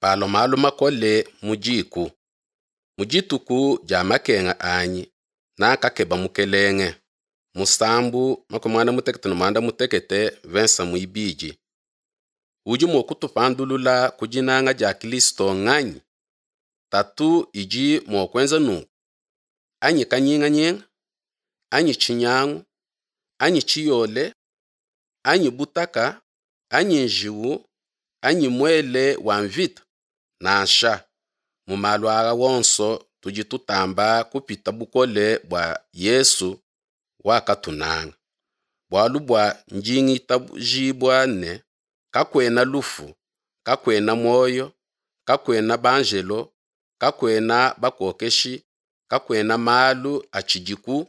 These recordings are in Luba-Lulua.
Palua malu makole mu diku. Mu dituku dia makenga anyi nakakeba Mukelenge. Musambu 116 mvensa muibidi. Udi mua kutupandulula ku dinanga dia Kilisto nganyi? Tatu idi mua kuenza nunku, anyi kanyinganyinga, anyi tshinyangu, anyi tshiyole, anyi butaka, anyi njiwu, anyi muele wa mvita? Nansha, mu malu aa onso tudi tutamba kupita bukole bua Yesu wakatunanga. Bualu bua ndi ngitabujibua ne, Kakuena lufu, kakuena muoyo, kakuena banjelo, kakuena bakokeshi, kakuena malu atshidiku,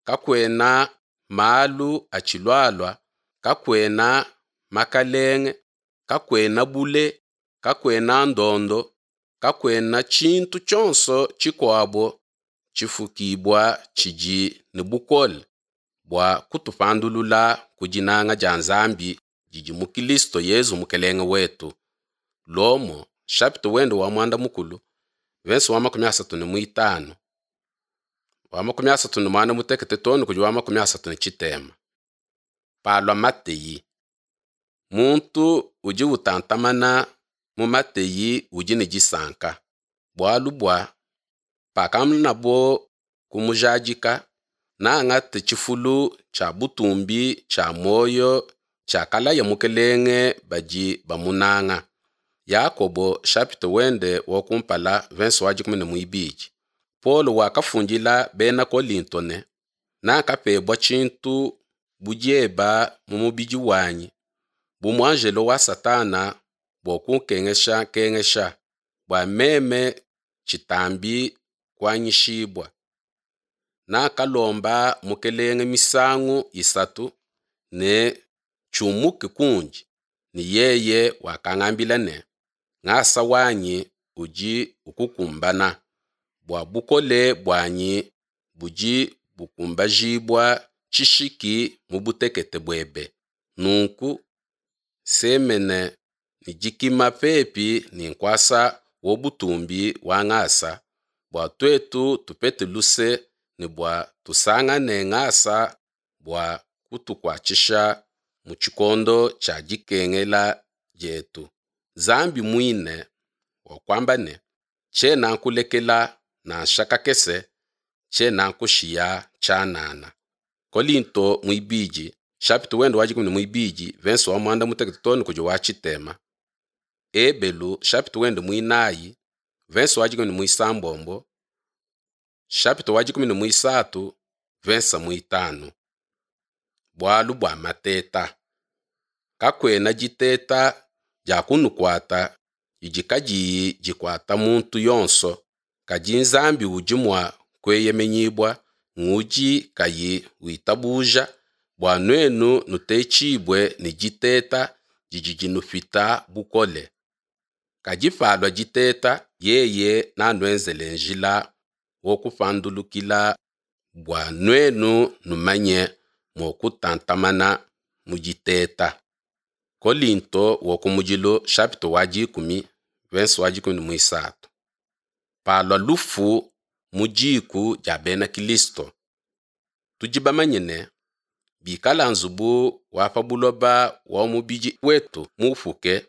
kakuena malu atshilualua, kakuena makalenge, kakuena bule, kakuena ndondo, kakuena tshintu tshionso tshikuabo tshifukibua tshidi ne bukole bua kutupandulula ku dinanga dia Nzambi didi mu Kilisto Yezu Mukelenge wetu. Lomo chapitre wende wa muanda mukulu verse wa 35 wa 36 too ne kudi wa 33. Palua mateyi. Muntu udi utantamana mu mateyi udi ne disanka, bualu bua pakamanabo kumujadika, neangate tshifulu tshia butumbi tshia muoyo tshiakalaya Mukelenge badi bamunanga. Yakobo chapitre wende wa kumpala verse wa 12. Paulo wakafundila bena Kolinto ne, nakapebua tshintu bu dieba mu mubidi wanyi, bu muanjelo wa Satana bua kunkengesha nkengesha, bua meme tshitambi kuanyishibua. Nakalomba Mukelenge misangu isatu ne tshiumuke kundi, ne yeye wakangambila ne, ngasa wanyi udi ukukumbana, bua bukole buanyi budi bukumbajibua tshishiki mu butekete buebe. Nunku semene ne dikima pepi ne nkuasa wa butumbi wa ngasa, bua tuetu tupete luse ne bua tusangane ngasa bua kutukuatshisha mu tshikondo tshia dikengela dietu. Nzambi muine wakuamba ne, Tshiena nkulekela nansha kakese, tshiena nkushiya tshianana. Kolinto muibidi chapitre wende wa 12 verse wa muanda mutekete too ne kudi wa tshitema. Ebelu chapitre wende muinayi verse wa 16 chapitre wa 13 verse muitanu. Bualu bua mateta. Kakuena diteta dia kunukuata didi kadiyi dikuata muntu yonso, kadi Nzambi udi mua kueyemenyibua ngudi kayi witabuja bua nuenu nutetshibue ne diteta didi dinupita bukole. Kadi palua diteta, yeye nanuenzele njila wa kupandulukila bua nuenu numanye mua kutantamana mu diteta. Kolinto wa kumudilu chapitre wa 10 verse wa 13. Palua lufu mu diku dia bena Kilisto. Tudi bamanye ne, bikala nzubu wa pa buloba wa mubidi wetu mupuke,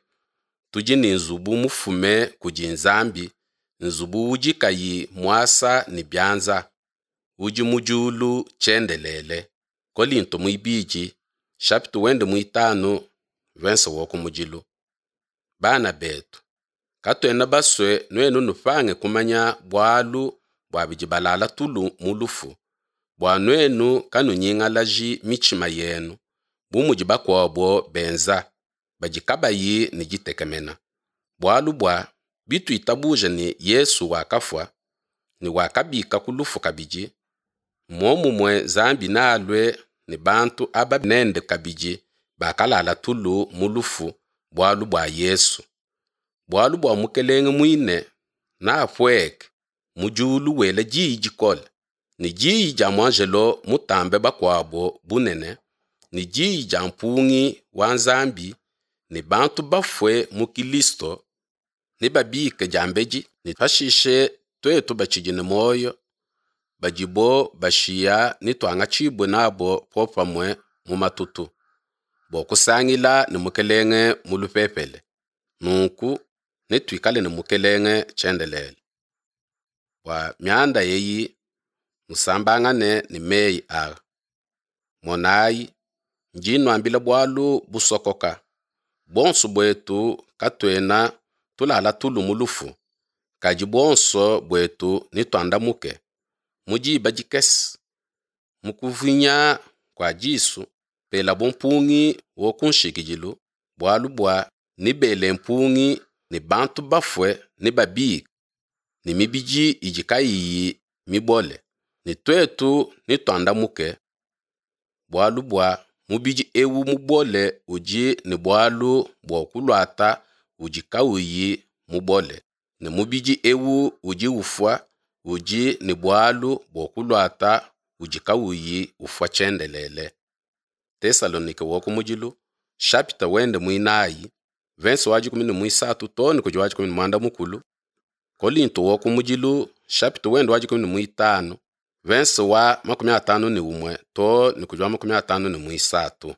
tudi ne nzubu mufume kudi Nzambi, nzubu udi kayi muasa ne bianza, udi mu diulu tshiendelele. Kolinto muibidi chapitre wende muitanu verse wa kumudilu. Bana betu, katuena basue nuenu nupange kumanya bualu bua bidi balala tulu mu lufu, bua nuenu kanunyingalaji mitshima yenu, bu mudi bakuabo benza, badi kabayi ne ditekemena. Bualu bua bituitabuja ne Yesu wakafua ne wakabika ku lufu kabidi, muomumue Nzambi nealue ne bantu aba nende kabidi bakalala tulu mu lufu bualu bua Yesu. Bualu bua Mukelenge muine neapueke mu diulu wela diyi dikole, ne diyi dia muanjelo mutambe bakuabo bunene, ne diyi dia mpungi wa Nzambi, ne bantu bafue mu Kilisto Nebabike diambedi, ne pashishe tuetu batshidi ne muoyo, badibo bashiya netuangatshibue nabo popamue mu matutu, bua kusangila ne Mukelenge mu lupepele. Nunku netuikale ne Mukelenge tshiendelele. Bua mianda eyi nusambangane ne meyi aa. Monayi, ndi nnuambila bualu busokoka, buonso buetu katuena tulala tulu mu lufu, kadi buonso buetu netuandamuke, mu diba dikese, mu kuvinya kua disu, pelabo mpungi wa kunshikidilu, bualu bua nebele mpungi ne bantu bafue nebabike ne mibidi idi kayiyi mibole, ne tuetu netuandamuke, bualu bua mubidi eu mubole udi ne bualu bua kuluata udi kauyi mubole, ne mubidi eu udi ufua udi ne bualu bua kuluata udi kauyi ufua tshiendelele. Tesalonike wa kumudilu, shapita wende muinayi, verse wa 13 too ne kudi wa 15, Kolinto wa kumudilu, shapita wende wa 15, verse wa 51 too ne kudi wa 53.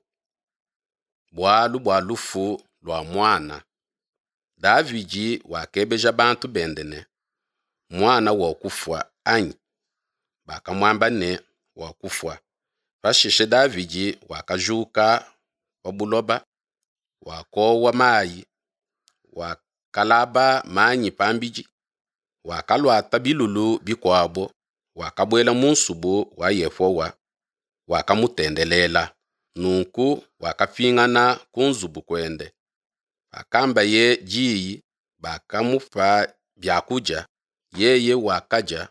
Bualu bua lufu lua muana. Davidi wakebeja bantu bende ne, Muana wakufua anyi? Bakamuamba ne, Wakufua. Pashishe Davidi wakajuka pa buloba, wakowa mayi, wakalaba manyi pambidi, wakaluata bilulu bikuabo, wakabuela mu nsubu wa Yehowa, wakamutendelela. Nunku wakapingana ku nzubu kuende. Pakambaye diyi, bakamupa bia kudia, yeye wakadia.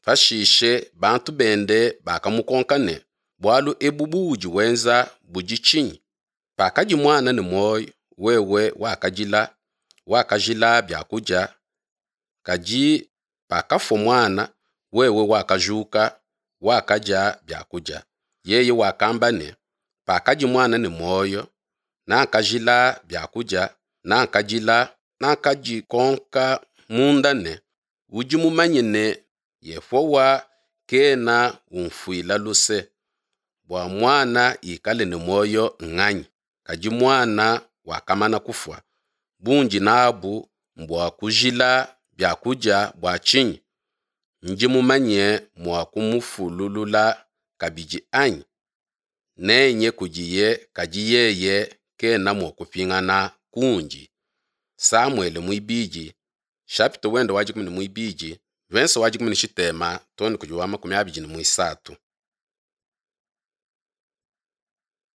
Pashishe bantu bende bakamukonka ne, Bualu ebu buudi wenza budi tshinyi? Pakadi muana ne muoyo, wewe wakadila, wakajila bia kudia, kadi pakafua muana, wewe wakajuka, wakadia bia kudia. Yeye wakamba ne, Pakadi muana ne muoyo, nakajila bia kudia, nakadila, nakadikonka munda ne, Udi mumanye ne, Yehowa kena unfuila luse, bua muana ikale ne muoyo nganyi? Kadi muana wakamana kufua, bundi n'abu mbua kujila bia kudia bua tshinyi? Ndi mumanye mua kumufululula kabidi, anyi? Nenye kudiye kadi yeye kena mua kupingana kundi. Samuele muibidi, chapitre wende wa 12, verse wa 13 too ne kudi wa 23.